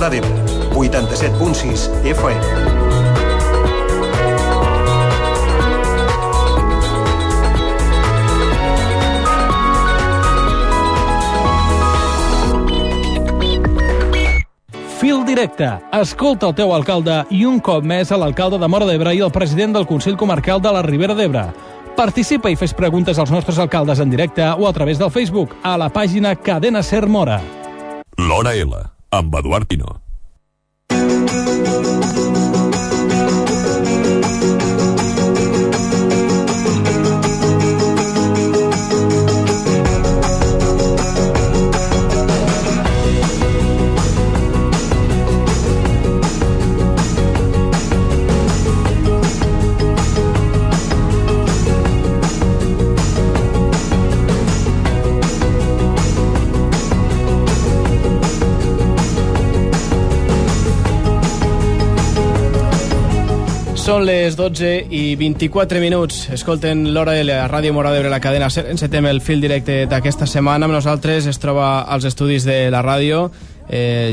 Móra d'Ebre, 87.6 FM. Fil directe. Escolta el teu alcalde i un cop més a l'alcalde de Móra d'Ebre i el president del Consell Comarcal de la Ribera d'Ebre. Participa i fes preguntes als nostres alcaldes en directe o a través del Facebook a la pàgina Cadena Ser Móra. L'Hora L, amb Eduard Pino. Són les 12 i 24 minuts. Escolten l'Hora L a Ràdio Móra d'Ebre, la cadena SER. Encetem el fil directe d'aquesta setmana. Amb nosaltres es troba als estudis de la ràdio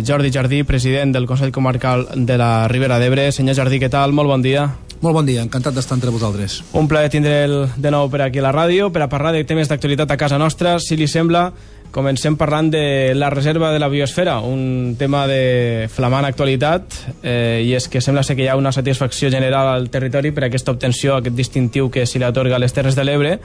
Jordi Jardí, president del Consell Comarcal de la Ribera d'Ebre. Senyor Jardí, què tal? Molt bon dia. Molt bon dia, encantat d'estar entre vosaltres. Un plaer tindre'l de nou per aquí a la ràdio per a parlar de temes d'actualitat a casa nostra. Si li sembla, comencem parlant de la reserva de la biosfera, un tema de flamant actualitat, i és que sembla ser que hi ha una satisfacció general al territori per aquesta obtenció, aquest distintiu que se li atorga a les Terres de l'Ebre.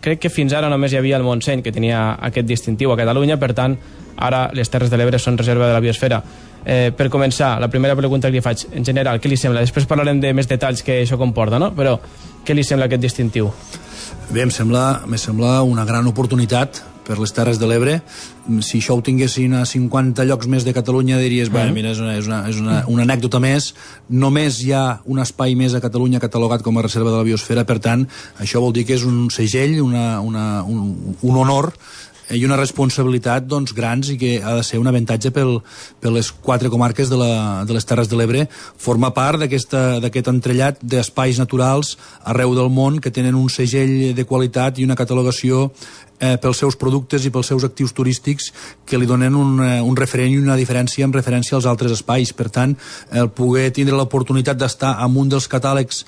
Crec que fins ara només hi havia el Montseny que tenia aquest distintiu a Catalunya, per tant, ara les Terres de l'Ebre són reserva de la biosfera. Per començar, la primera pregunta que li faig, en general, què li sembla? Després parlarem de més detalls que això comporta, no? Però què li sembla aquest distintiu? Bé, em sembla una gran oportunitat per les Terres de l'Ebre. Si això ho tinguessin a 50 llocs més de Catalunya diries, mira, és una anècdota més. Només hi ha un espai més a Catalunya catalogat com a reserva de la biosfera, per tant, això vol dir que és un segell, un honor i una responsabilitat doncs, grans, i que ha de ser un avantatge per les 4 comarques de les Terres de l'Ebre. Forma part d'aquest entrellat d'espais naturals arreu del món que tenen un segell de qualitat i una catalogació pels seus productes i pels seus actius turístics que li donen un referent i una diferència en referència als altres espais. Per tant, el poder tindre l'oportunitat d'estar en un dels catàlegs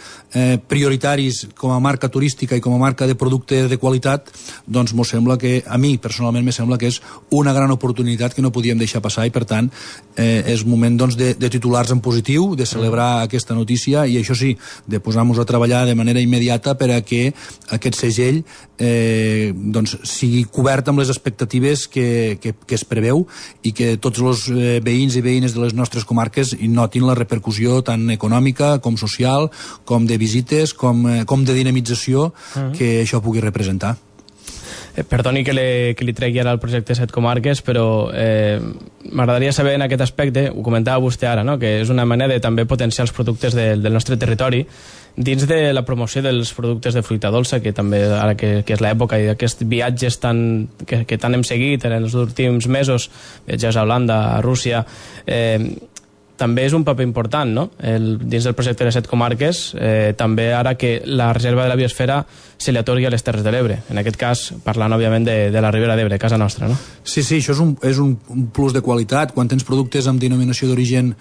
prioritaris com a marca turística i com a marca de producte de qualitat, doncs m'ho sembla que, a mi personalment me sembla que és una gran oportunitat que no podíem deixar passar, i per tant és moment doncs, de titulars en positiu, de celebrar aquesta notícia, i això sí, de posar-nos a treballar de manera immediata per a que aquest segell doncs sigui cobert amb les expectatives que es preveu, i que tots els veïns i veïnes de les nostres comarques hi notin la repercussió tant econòmica com social, com de visites, com de dinamització que això pugui representar. Perdoni que li tregui ara el projecte 7 comarques, però m'agradaria saber en aquest aspecte, ho comentava vostè ara, no? Que és una manera de també potenciar els productes del nostre territori dins de la promoció dels productes de fruita dolça, que també ara que és l'època i d'aquests viatges que tant hem seguit en els últims mesos, viatges a Holanda, a Rússia, també és un paper important, no? Dins del projecte de 7 comarques, també ara que la reserva de la biosfera se li atorgui a les Terres de l'Ebre, en aquest cas parlant òbviament de la Ribera d'Ebre, casa nostra, no? Sí, això és un plus de qualitat. Quan tens productes amb denominació d'origen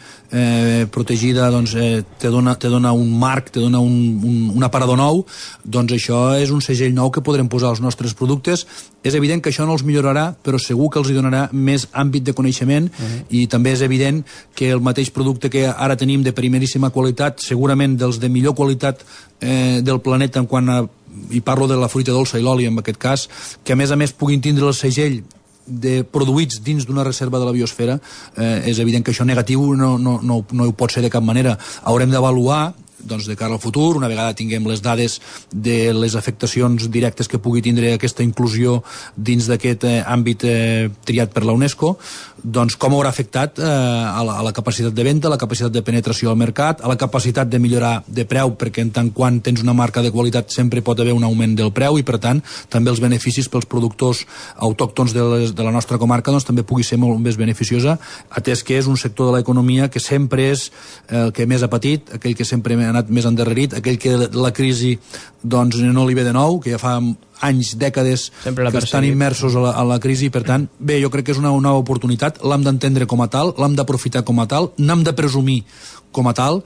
protegida, doncs te dona un marc, te dona un aparador nou, doncs això és un segell nou que podrem posar als nostres productes. És evident que això no els millorarà, però segur que els hi donarà més àmbit de coneixement, i també és evident que el mateix producte que ara tenim de primeríssima qualitat, segurament dels de millor qualitat del planeta en quant a, i parlo de la fruita dolça i l'oli en aquest cas, que a més puguin tindre el segell de produïts dins d'una reserva de la biosfera, és evident que això negatiu no ho pot ser de cap manera. Haurem d'avaluar doncs, de cara al futur, una vegada tinguem les dades de les afectacions directes que pugui tindre aquesta inclusió dins d'aquest àmbit triat per la UNESCO, doncs com haurà afectat a la capacitat de venda, a la capacitat de penetració al mercat, a la capacitat de millorar de preu, perquè en tant quan tens una marca de qualitat sempre pot haver un augment del preu, i per tant també els beneficis pels productors autòctons de la nostra comarca doncs també pugui ser molt més beneficiosa, atès que és un sector de l'economia que sempre és el que més ha patit, aquell que sempre ha anat més endarrerit, aquell que la crisi doncs no li ve de nou, que ja fa anys, dècades que estan immersos a la crisi. Per tant, bé, jo crec que és una nova oportunitat, l'hem d'entendre com a tal, l'hem d'aprofitar com a tal, n'hem de presumir com a tal,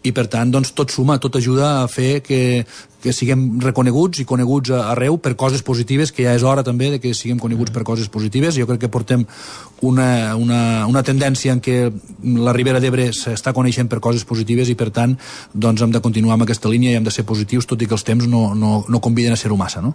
i per tant doncs, tot suma, tot ajuda a fer que siguem reconeguts i coneguts arreu per coses positives, que ja és hora també de que siguem coneguts per coses positives. Jo crec que portem una tendència en què la Ribera d'Ebre s'està coneixent per coses positives, i per tant doncs, hem de continuar amb aquesta línia i hem de ser positius, tot i que els temps no conviden a ser-ho massa, no?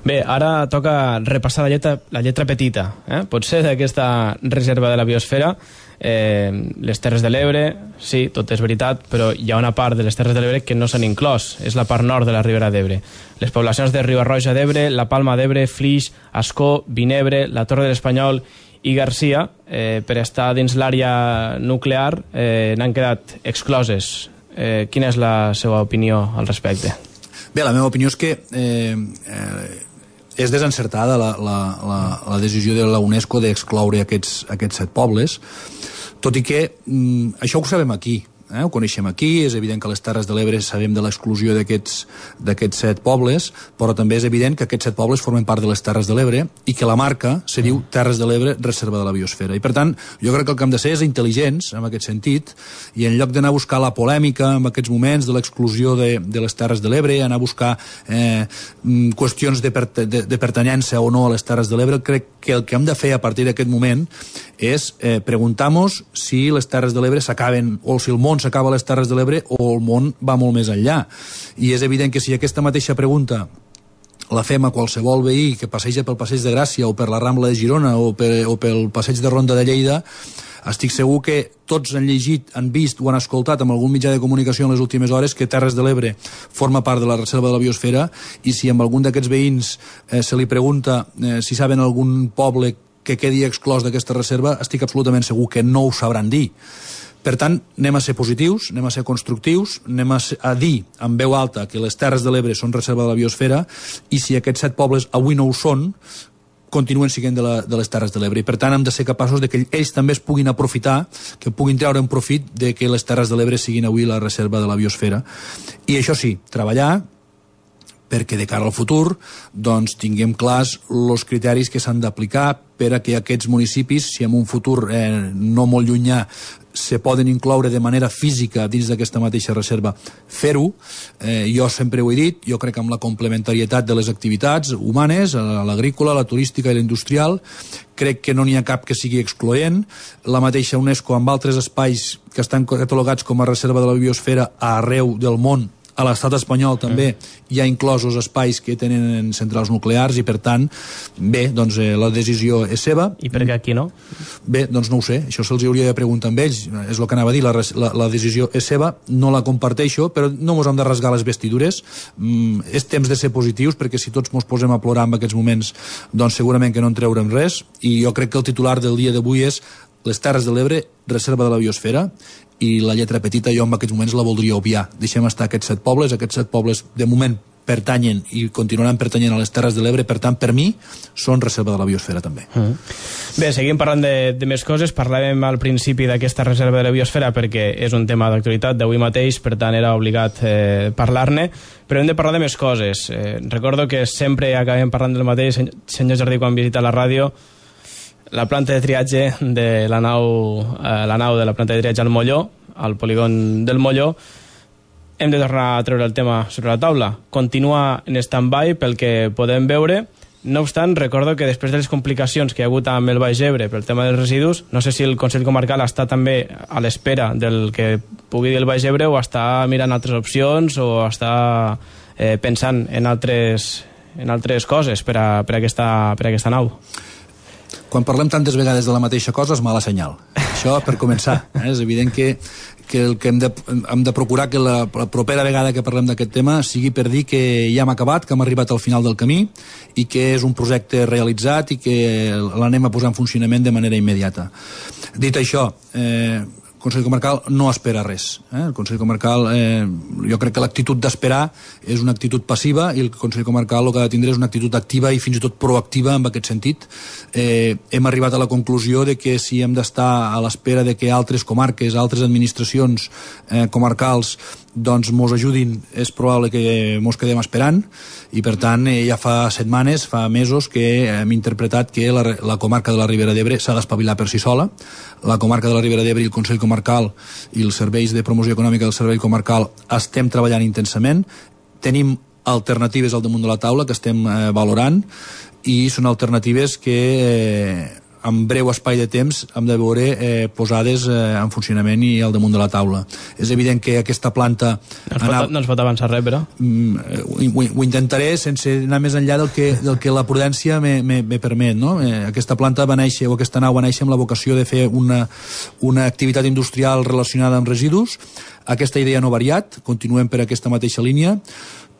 Bé, ara toca repassar la lletra petita, potser d'aquesta reserva de la biosfera. Les Terres de l'Ebre, sí, tot és veritat, però hi ha una part de les Terres de l'Ebre que no s'han inclòs, és la part nord de la Ribera d'Ebre. Les poblacions de Riba-roja d'Ebre, la Palma d'Ebre, Flix, Ascó, Vinebre, la Torre de l'Espanyol i Garcia, per estar dins l'àrea nuclear, n'han quedat excloses. Quina és la seva opinió al respecte? Bé, la meva opinió és que és desencertada la decisió de la UNESCO d'excloure aquests 7 pobles, tot i que això ho sabem aquí, ho coneixem aquí. És evident que a les Terres de l'Ebre sabem de l'exclusió d'aquests 7 pobles, però també és evident que aquests 7 pobles formen part de les Terres de l'Ebre i que la marca se diu Terres de l'Ebre, Reserva de la Biosfera. I per tant, jo crec que el que hem de ser és intel·ligents en aquest sentit, i en lloc d'anar a buscar la polèmica en aquests moments de l'exclusió de les Terres de l'Ebre, anar a buscar qüestions de pertanyença o no a les Terres de l'Ebre, crec que el que hem de fer a partir d'aquest moment és preguntar-nos si les Terres de l'Ebre s'acaben, o si el món s'acaba a les Terres de l'Ebre, o el món va molt més enllà. I és evident que si aquesta mateixa pregunta la fem a qualsevol veí que passeja pel Passeig de Gràcia o per la Rambla de Girona o pel Passeig de Ronda de Lleida, estic segur que tots han llegit, han vist o han escoltat en algun mitjà de comunicació en les últimes hores que Terres de l'Ebre forma part de la Reserva de la Biosfera, i si amb algun d'aquests veïns se li pregunta si saben algun poble que quedi exclòs d'aquesta reserva, estic absolutament segur que no ho sabran dir. Per tant, anem a ser positius, anem a ser constructius, anem a dir en veu alta que les Terres de l'Ebre són reserva de la biosfera, i si aquests 7 pobles avui no ho són, continuen siguent de les Terres de l'Ebre. I per tant hem de ser capaços de que ells també es puguin aprofitar, que puguin treure un profit de que les Terres de l'Ebre siguin avui la reserva de la biosfera. I això sí, treballar perquè de cara al futur doncs, tinguem clars els criteris que s'han d'aplicar per a que aquests municipis, si en un futur no molt llunyà se poden incloure de manera física dins d'aquesta mateixa reserva, fer-ho. Jo sempre ho he dit, jo crec que amb la complementarietat de les activitats humanes, l'agrícola, la turística i la industrial, crec que no n'hi ha cap que sigui excloent. La mateixa UNESCO, amb altres espais que estan catalogats com a reserva de la biosfera arreu del món, a l'estat espanyol també hi ha inclosos espais que tenen centrals nuclears, i per tant, bé, doncs la decisió és seva. I per què aquí no? Bé, doncs no ho sé, això se'ls hauria de preguntar amb ells, és el que anava a dir, la decisió és seva, no la comparteixo, però no mos hem de rasgar les vestidures. És temps de ser positius, perquè si tots mos posem a plorar en aquests moments, doncs segurament que no en treurem res, i jo crec que el titular del dia d'avui és les Terres de l'Ebre, reserva de la biosfera, i la lletra petita jo en aquests moments la voldria obviar. Deixem estar aquests 7 pobles de moment pertanyen i continuaran pertanyent a les Terres de l'Ebre, per tant, per mi, són reserva de la biosfera també. Bé, seguim parlant de més coses. Parlàvem al principi d'aquesta reserva de la biosfera perquè és un tema d'actualitat d'avui mateix, per tant era obligat parlar-ne, però hem de parlar de més coses. Recordo que sempre acabem parlant del mateix, senyor Jardí, quan visita la ràdio, la planta de triatge de la nau de la planta de triatge al Molló, al polígon del Molló. Hem de tornar a treure el tema sobre la taula. Continua en stand-by pel que podem veure. No obstant, recordo que després de les complicacions que hi ha hagut amb el Baix Ebre pel tema dels residus, no sé si el Consell Comarcal està també a l'espera del que pugui dir el Baix Ebre, o està mirant altres opcions, o està pensant en altres coses per a aquesta nau. Quan parlem tantes vegades de la mateixa cosa és mala senyal. Això per començar. És evident que el que hem de procurar que la propera vegada que parlem d'aquest tema sigui per dir que ja hem acabat, que hem arribat al final del camí i que és un projecte realitzat i que l'anem a posar en funcionament de manera immediata. Dit això, el Consell Comarcal no espera res. El Consell Comarcal, jo crec que l'actitud d'esperar és una actitud passiva, i el Consell Comarcal el que ha de tindre és una actitud activa i fins i tot proactiva en aquest sentit. Hem arribat a la conclusió de que si hem d'estar a l'espera de que altres comarques, altres administracions comarcals doncs mos ajudin, és probable que mos quedem esperant, i per tant ja fa setmanes, fa mesos que hem interpretat que la comarca de la Ribera d'Ebre s'ha d'espavilar per si sola. La comarca de la Ribera d'Ebre i el Consell Comarcal i els serveis de promoció econòmica del Servei Comarcal estem treballant intensament, tenim alternatives al damunt de la taula que estem valorant, i són alternatives que en breu espai de temps hem de veure posades en funcionament i al damunt de la taula. És evident que aquesta planta... No ens pot avançar res, però... Ho intentaré sense anar més enllà del que la prudència me permet, no? Aquesta planta va néixer, o aquesta nau va néixer amb la vocació de fer una activitat industrial relacionada amb residus. Aquesta idea no ha variat, continuem per aquesta mateixa línia,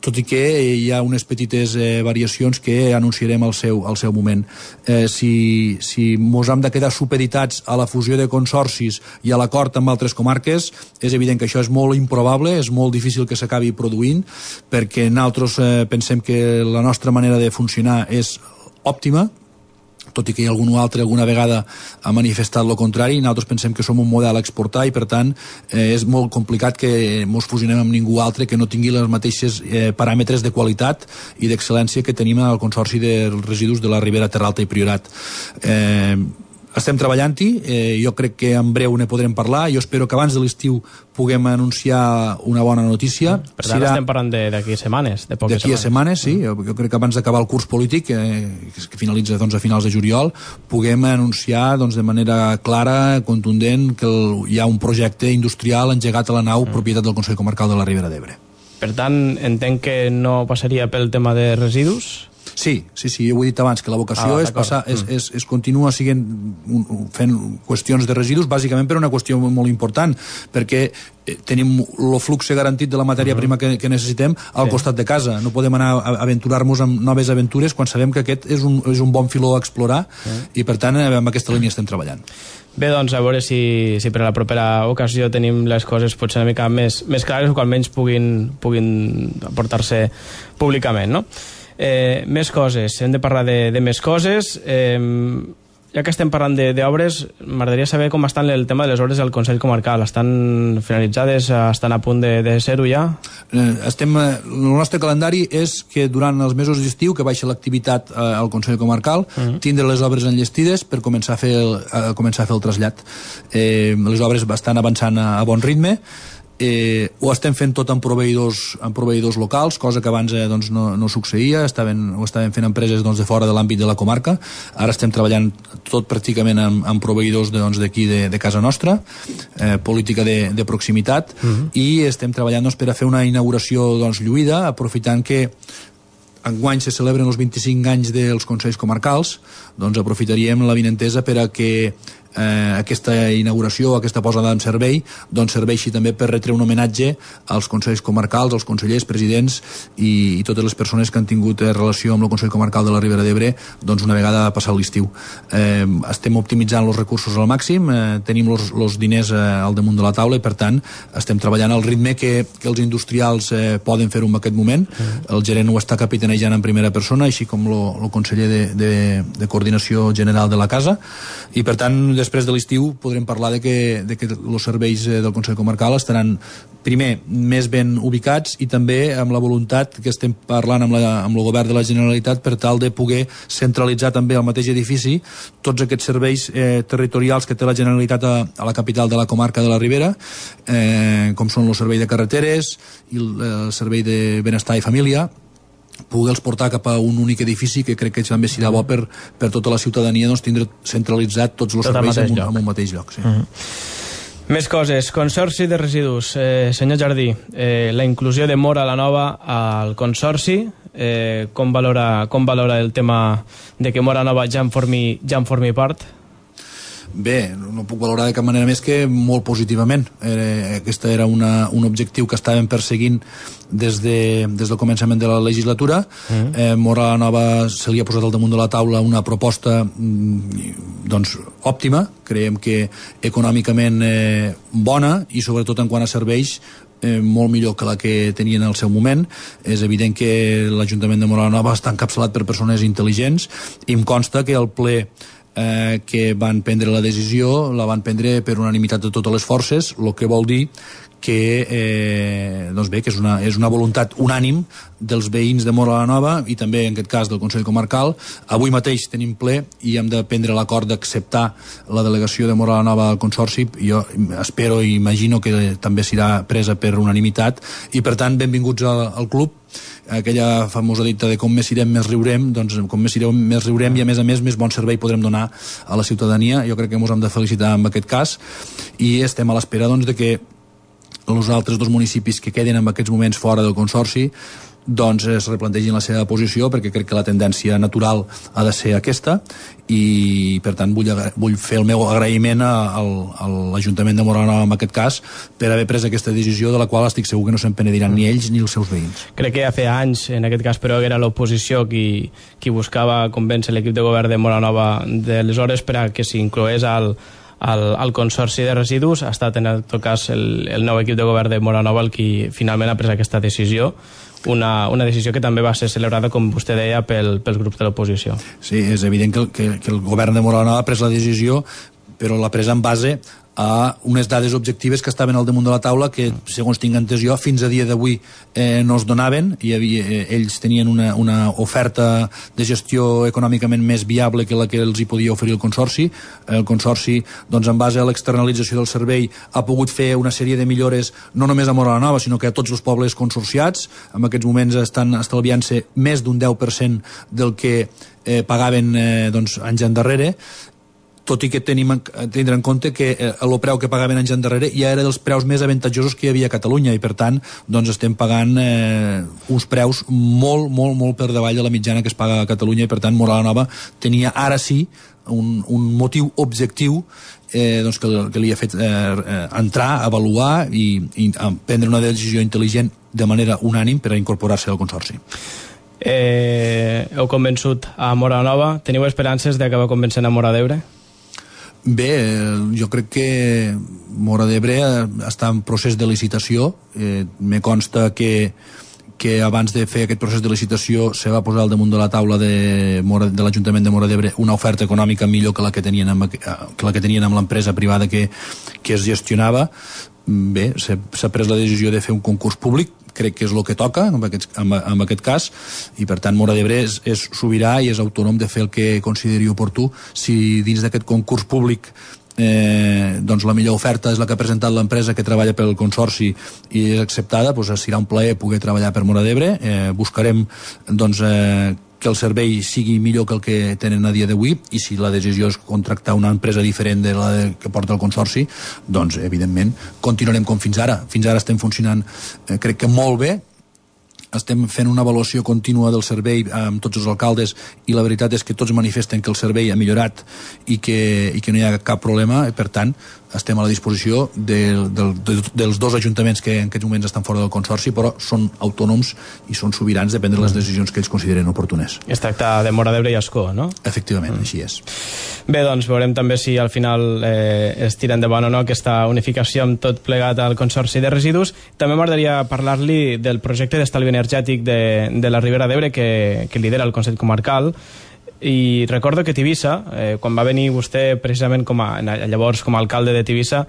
tot i que hi ha unes petites variacions que anunciarem al seu moment. Si mos hem de quedar supeditats a la fusió de consorcis i a l'acord amb altres comarques, és evident que això és molt improbable, és molt difícil que s'acabi produint, perquè nosaltres pensem que la nostra manera de funcionar és òptima, tot i que algun altre alguna vegada ha manifestat el contrari. Nosaltres pensem que som un model a exportar i per tant és molt complicat que mos fusionem amb ningú altre que no tingui les mateixes paràmetres de qualitat i d'excel·lència que tenim al Consorci de Residus de la Ribera Terra Alta i Priorat. Estem treballant-hi, jo crec que en breu ne podrem parlar, jo espero que abans de l'estiu puguem anunciar una bona notícia. Per tant, estem parlant d'aquí setmanes, de poques setmanes. D'aquí a setmanes, sí, jo crec que abans d'acabar el curs polític, que finalitza a finals de juliol, puguem anunciar de manera clara, contundent, que hi ha un projecte industrial engegat a la nau propietat del Consell Comarcal de la Ribera d'Ebre. Per tant, entenc que no passaria pel tema de residus? Sí, jo ho he dit abans, que la vocació és continua fent qüestions de residus, bàsicament per una qüestió molt important, perquè tenim el flux garantit de la matèria prima que necessitem al costat de casa. No podem anar a aventurar-nos amb noves aventures quan sabem que aquest és un bon filó a explorar, i per tant amb aquesta línia estem treballant. Bé, doncs a veure si per a la propera ocasió tenim les coses potser una mica més clares, o que almenys puguin aportar-se públicament, no? Més coses, hem de parlar de més coses. Ja que estem parlant d'obres, m'agradaria saber com estan el tema de les obres del Consell Comarcal. Estan finalitzades? Estan a punt de ser-ho ja? El nostre calendari és que durant els mesos d'estiu, que baixa l'activitat al Consell Comarcal, tindre les obres enllestides per començar a fer el trasllat. Les obres estan avançant a bon ritme. Ho estem fent tot amb proveïdors locals, cosa que abans no succeïa. Ho estaven fent empreses de fora de l'àmbit de la comarca. Ara estem treballant tot pràcticament amb proveïdors d'aquí de casa nostra, política de proximitat, i estem treballant per a fer una inauguració lluïda, aprofitant que enguany se celebren els 25 anys dels Consells Comarcals. Aprofitaríem l'avinentesa per a que aquesta inauguració, aquesta posada en servei, serveixi també per retre un homenatge als Consells Comarcals, als consellers, presidents i totes les persones que han tingut relació amb el Consell Comarcal de la Ribera d'Ebre una vegada passat l'estiu. Estem optimitzant els recursos al màxim, tenim els diners al damunt de la taula i per tant estem treballant al ritme que els industrials poden fer-ho en aquest moment. El gerent ho està capitanejant en primera persona, així com el conseller de Coordinació General de la Casa, i per tant després de l'estiu podrem parlar de que els serveis del Consell Comarcal estaran primer més ben ubicats i també amb la voluntat que estem parlant amb el govern de la Generalitat per tal de poder centralitzar també al mateix edifici tots aquests serveis territorials que té la Generalitat a la capital de la comarca de la Ribera, com són el servei de carreteres i el servei de benestar i família, poder-los portar cap a un únic edifici, que crec que també serà bo per tota la ciutadania tindre centralitzat tots els serveis en un mateix lloc. Sí. Més coses. Consorci de residus. Senyor Jardí, la inclusió de Móra la Nova al Consorci, com valora el tema de que Móra Nova ja en formi part? Bé, no puc valorar de cap manera més que molt positivament. Aquest era un objectiu que estàvem perseguint des del començament de la legislatura. Móra la Nova se li ha posat al damunt de la taula una proposta òptima, creiem que econòmicament bona i sobretot en quant a serveis molt millor que la que tenien en el seu moment. És evident que l'Ajuntament de Móra la Nova està encapçalat per persones intel·ligents i em consta que el ple que van prendre la decisió, la van prendre per unanimitat de totes les forces, el que vol dir que, doncs bé, que és una voluntat unànim dels veïns de Móra la Nova i també en aquest cas del Consell Comarcal. Avui mateix tenim ple i hem de prendre l'acord d'acceptar la delegació de Móra la Nova al Consorci. Jo espero i imagino que també serà presa per unanimitat i per tant benvinguts al club. Aquella famosa dita de com més irem més riurem, doncs com més irem més riurem i a més bon servei podrem donar a la ciutadania. Jo crec que ens hem de felicitar en aquest cas i estem a l'espera doncs de que els altres dos municipis que queden en aquests moments fora del Consorci doncs es replantegin la seva posició, perquè crec que la tendència natural ha de ser aquesta i per tant vull fer el meu agraïment a l'Ajuntament de Móra la Nova en aquest cas per haver pres aquesta decisió, de la qual estic segur que no se'n penediran ni ells ni els seus veïns. Crec que ja feia anys, en aquest cas, però era l'oposició qui buscava convèncer l'equip de govern de Móra la Nova d'aleshores per a que s'incloés al Consorci de Residus. Ha estat en tot cas el nou equip de govern de Móra la Nova el qui finalment ha pres aquesta decisió, una decisió que també va ser celebrada, com vostè deia, pels grups de l'oposició. Sí, és evident que el govern de Móra la Nova ha pres la decisió, però l'ha pres en base a unes dades objectives que estaven al damunt de la taula que, segons tinc entès jo, fins a dia d'avui no es donaven. Ells tenien una oferta de gestió econòmicament més viable que la que els hi podia oferir el Consorci. El Consorci, doncs, en base a l'externalització del servei, ha pogut fer una sèrie de millores no només a Móra la Nova, sinó que a tots els pobles consorciats. En aquests moments estan estalviant-se més d'un 10% del que pagaven anys endarrere, tot i que tindre en compte que el preu que pagaven anys endarrere ja era dels preus més avantatjosos que hi havia a Catalunya i per tant doncs estem pagant uns preus molt per davall de la mitjana que es paga a Catalunya i per tant Móra la Nova tenia ara sí un motiu objectiu doncs que li ha fet entrar, avaluar i prendre una decisió intel·ligent de manera unànim per a incorporar-se al Consorci. Heu convençut a Móra la Nova? Teniu esperances d'acabar convencent a Móra d'Ebre? Bé, jo crec que Móra d'Ebre està en procés de licitació. Me consta que abans de fer aquest procés de licitació se va posar al damunt de la taula de l'Ajuntament de Móra d'Ebre una oferta econòmica millor que la que tenien amb l'empresa privada que es gestionava. Bé, s'ha pres la decisió de fer un concurs públic, crec que és el que toca en aquest cas, i per tant Móra d'Ebre és sobirà i és autònom de fer el que consideri oportú. Si dins d'aquest concurs públic doncs la millor oferta és la que ha presentat l'empresa que treballa pel Consorci i és acceptada, doncs serà un plaer poder treballar per Móra d'Ebre. Buscarem doncs que el servei sigui millor que el que tenen a dia d'avui i si la decisió és contractar una empresa diferent de la que porta el Consorci, doncs evidentment continuarem com fins ara. Fins ara estem funcionant crec que molt bé, estem fent una avaluació contínua del servei amb tots els alcaldes i la veritat és que tots manifesten que el servei ha millorat i que no hi ha cap problema i per tant estem a la disposició dels dos ajuntaments que en aquests moments estan fora del Consorci però són autònoms i són sobirans de prendre les decisions que ells consideren oportunes. Es tracta de Móra d'Ebre i Ascó, no? Efectivament, així és. Bé, doncs veurem també si al final es tira endavant o no aquesta unificació amb tot plegat al Consorci de Residus. També m'agradaria parlar-li del projecte d'estalvi energètic de la Ribera d'Ebre que lidera el Consell Comarcal. I recordo que Tivissa, quan va venir vostè precisament llavors com a alcalde de Tivissa,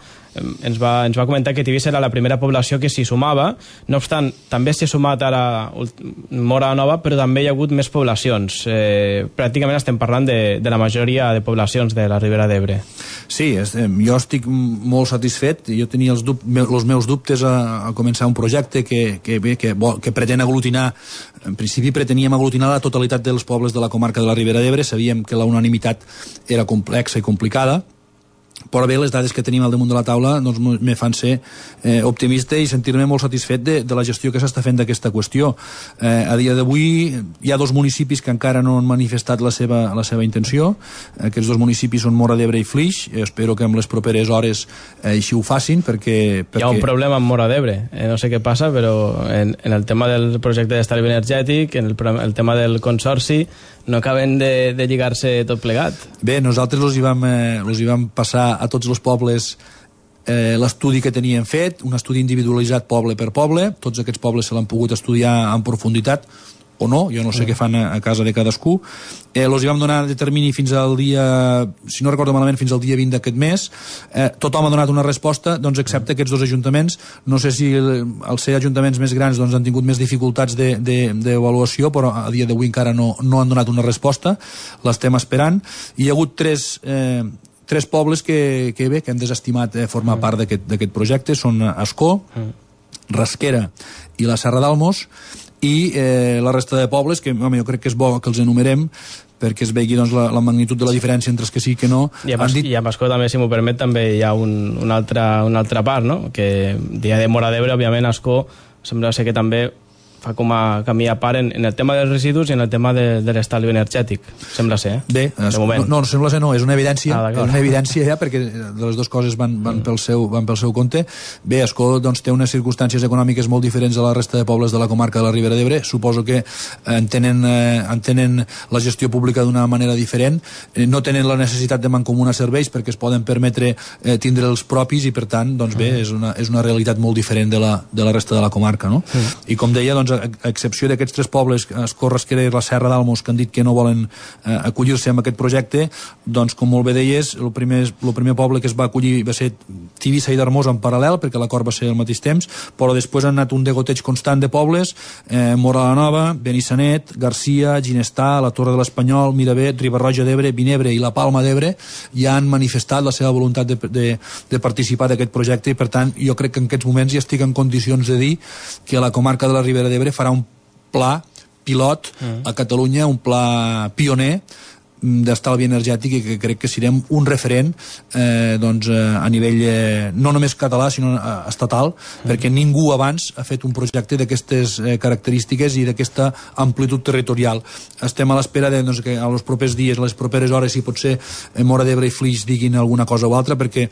ens va comentar que Tivissa era la primera població que s'hi sumava. No obstant, també s'hi ha sumat ara Móra la Nova, però també hi ha hagut més poblacions. Pràcticament estem parlant de la majoria de poblacions de la Ribera d'Ebre. Sí, jo estic molt satisfet. Jo tenia els meus dubtes a començar un projecte que pretén aglutinar, en principi preteníem aglutinar la totalitat dels pobles de la comarca de la Ribera d'Ebre. Sabíem que la unanimitat era complexa i complicada, però bé, les dades que tenim al damunt de la taula doncs me fan ser optimista i sentir-me molt satisfet de la gestió que s'està fent d'aquesta qüestió. A dia d'avui hi ha dos municipis que encara no han manifestat la seva intenció. Aquests dos municipis són Móra d'Ebre i Flix. Espero que en les properes hores així ho facin perquè... Hi ha un problema amb Móra d'Ebre, no sé què passa, però en el tema del projecte d'estalvi energètic, en el tema del Consorci, no acaben de lligar-se tot plegat. Bé, nosaltres els hi vam passar a tots els pobles l'estudi que tenien fet, un estudi individualitzat poble per poble. Tots aquests pobles se l'han pogut estudiar en profunditat. o no, jo no sé què fan a casa de cadascú. Els hi vam donar de termini fins al dia, si no recordo malament, fins al dia 20 d'aquest mes. Tothom ha donat una resposta, doncs excepte aquests dos ajuntaments. No sé si al ser ajuntaments més grans doncs han tingut més dificultats d'avaluació, però a dia d'avui encara no han donat una resposta. L'estem esperant. Hi ha hagut tres pobles que han desestimat formar part d'aquest projecte. Són Ascó, Rasquera i la Serra d'Almos, i la resta de pobles, que jo crec que és bo que els enumerem perquè es vegi doncs, la magnitud de la diferència entre els que sí i que no. I a Ascó també, si m'ho permet, també hi ha una altra part, no? Que dia de Móra d'Ebre, òbviament, Ascó sembla ser que també fa com a camí a part en el tema dels residus i en el tema de l'estalvi energètic, sembla ser, Bé, no, sembla ser no, és una evidència, ja, perquè de les dues coses van pel seu compte. Bé, Ascó doncs, té unes circumstàncies econòmiques molt diferents a la resta de pobles de la comarca de la Ribera d'Ebre. Suposo que entenen la gestió pública d'una manera diferent, no tenen la necessitat de mancomunar serveis perquè es poden permetre tindre els propis i per tant, doncs bé, és una realitat molt diferent de la resta de la comarca, no? I com deia, doncs, a excepció d'aquests tres pobles, Ascó, Rasquera i la Serra d'Almos, que han dit que no volen acollir-se a aquest projecte, doncs, com molt bé deies, el primer poble que es va acollir va ser Tivissa i Darmós en paral·lel, perquè l'acord va ser al mateix temps, però després han anat un degoteig constant de pobles, Móra la Nova, Benissanet, Garcia, Ginestà, la Torre de l'Espanyol, Miravet, Riba-roja d'Ebre, Vinebre i la Palma d'Ebre ja han manifestat la seva voluntat de participar d'aquest projecte i, per tant, jo crec que en aquests moments ja estic en condicions de dir que la comarca de la Ribera d'Ebre farà un pla pilot a Catalunya, un pla pioner d'estalvi energètic i que crec que serem un referent a nivell no només català sinó estatal, perquè ningú abans ha fet un projecte d'aquestes característiques i d'aquesta amplitud territorial. Estem a l'espera que a els propers dies, a les properes hores, si potser Móra d'Ebre i Flix diguin alguna cosa o altra, perquè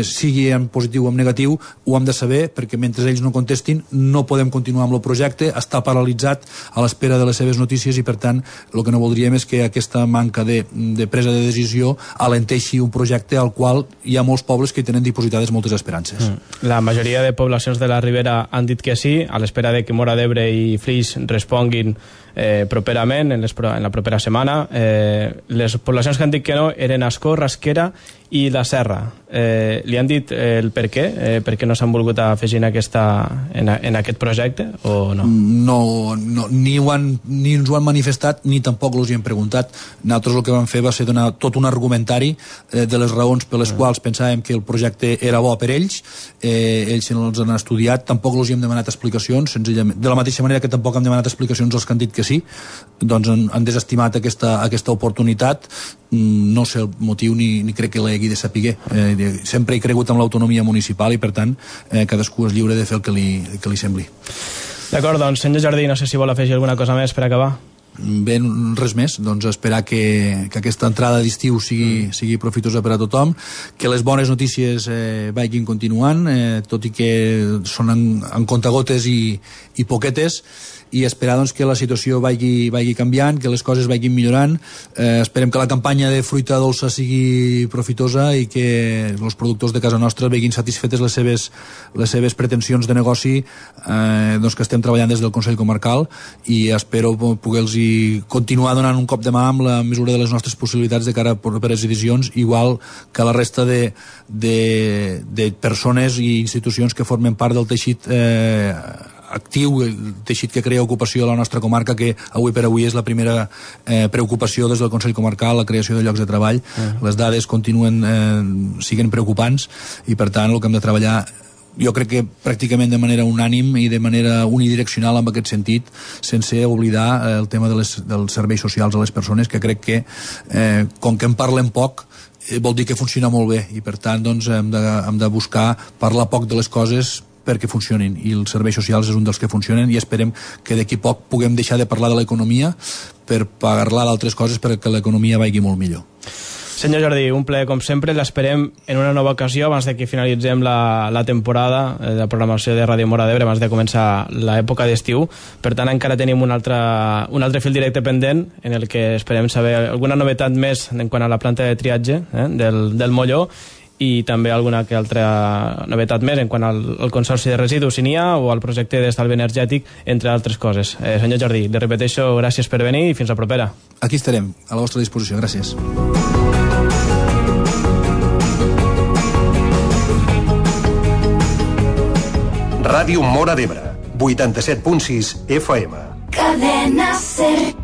sigui en positiu o en negatiu ho hem de saber, perquè mentre ells no contestin no podem continuar amb el projecte, està paralitzat a l'espera de les seves notícies i per tant el que no voldríem és que aquesta manca de presa de decisió alenteixi un projecte al qual hi ha molts pobles que hi tenen dipositades moltes esperances. La majoria de poblacions de la Ribera han dit que sí, a l'espera de que Móra d'Ebre i Flix responguin properament, en la propera setmana. Les poblacions que han dit que no eren Ascó, Rasquera i la Serra. Li han dit el per què? Per què no s'han volgut afegir en aquest projecte o no? No, ni ens ho han manifestat ni tampoc els hi hem preguntat. Nosaltres el que vam fer va ser donar tot un argumentari de les raons per les quals pensàvem que el projecte era bo per ells. Ells els han estudiat, tampoc els hi hem demanat explicacions, senzillament. De la mateixa manera que tampoc hem demanat explicacions als que han dit que sí, doncs han desestimat aquesta oportunitat. No sé el motiu ni crec que l'hagi de saber. Sempre he cregut en l'autonomia municipal i per tant cadascú és lliure de fer el que li sembli. D'acord, doncs senyor Jardí, no sé si vol afegir alguna cosa més per acabar. Bé, res més, doncs esperar que aquesta entrada d'estiu sigui profitosa per a tothom, que les bones notícies vagin continuant, tot i que són en contagotes i poquetes, i esperar doncs, que la situació vagi canviant, que les coses vagin millorant. Esperem que la campanya de fruita dolça sigui profitosa i que els productors de casa nostra vegin satisfetes les seves pretensions de negoci doncs, que estem treballant des del Consell Comarcal, i espero poder-los continuar donant un cop de mà amb la mesura de les nostres possibilitats de cara a properes edicions, igual que la resta de persones i institucions que formen part del teixit actiu, el teixit que crea ocupació a la nostra comarca, que avui per avui és la primera preocupació des del Consell Comarcal, la creació de llocs de treball. Les dades siguen preocupants i per tant el que hem de treballar, jo crec que pràcticament de manera unànim i de manera unidireccional en aquest sentit, sense oblidar el tema dels serveis socials a les persones, que crec que com que en parlem poc vol dir que funciona molt bé i per tant doncs, hem de buscar parlar poc de les coses perquè funcionin, i els serveis socials és un dels que funcionen, i esperem que d'aquí poc puguem deixar de parlar de l'economia per parlar d'altres coses perquè l'economia vagi molt millor. Senyor Jardí, un plaer com sempre, l'esperem en una nova ocasió abans de que finalitzem la temporada de programació de Ràdio Móra d'Ebre, abans de començar l'època d'estiu. Per tant, encara tenim un altre fil directe pendent en el que esperem saber alguna novetat més en quant a la planta de triatge del Molló, i també alguna que altra novetat més en quant al consorci de residus, si n'hi ha, o al projecte d'estalvi energètic, entre altres coses. Senyor Jordi, li repeteixo, gràcies per venir i fins la propera. Aquí estarem, a la vostra disposició. Gràcies. Ràdio Móra d'Ebre, 87.6 FM. Cadena Ser.